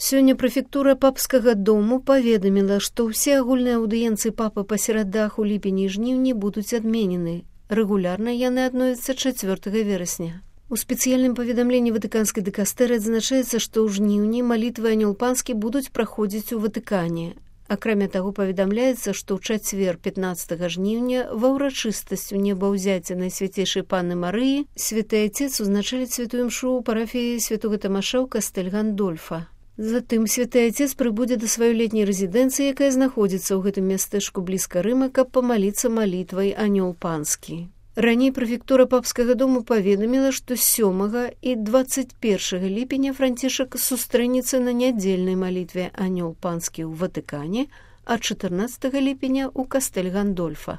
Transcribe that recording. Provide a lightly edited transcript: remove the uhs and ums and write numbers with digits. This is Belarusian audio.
Сёння прэфектура папскага дому паведаміла, што ўсе агульныя аўдыенцыі папы па серадах у ліпені і жніўні будуць адменены. Рэгулярна яны адновяцца 4 верасня. У спецыяльным паведамленні ватыканскай дыкастэры адзначаецца, што ў жніўні малітвы анёл панскі будуць праходзіць у Ватыкане. Акрамя таго, паведамляецца, што ў чацвер 15 жніўня ва ўрачыстасць у небаўзяцця Найсвяцейшай Панны Марыі святы Айцец узначаліць святую імшу ў парафіі святога Тамаша ў кастэль Гандольфа. Затым святы Айцец прыбудзе да сваёй летняй рэзідэнцыі, якая знаходзіцца ў гэтым мястэчку блізка Рыма, каб памаліцца малітвай анёл панскі. Раней прэфектура папскага дому паведаміла, што 7 і 21 ліпеня Францішак сустрэнецца на нядзельнай малітве анёл панскі ў Ватыкане, а 14 ліпеня ў кастэль Гандольфа.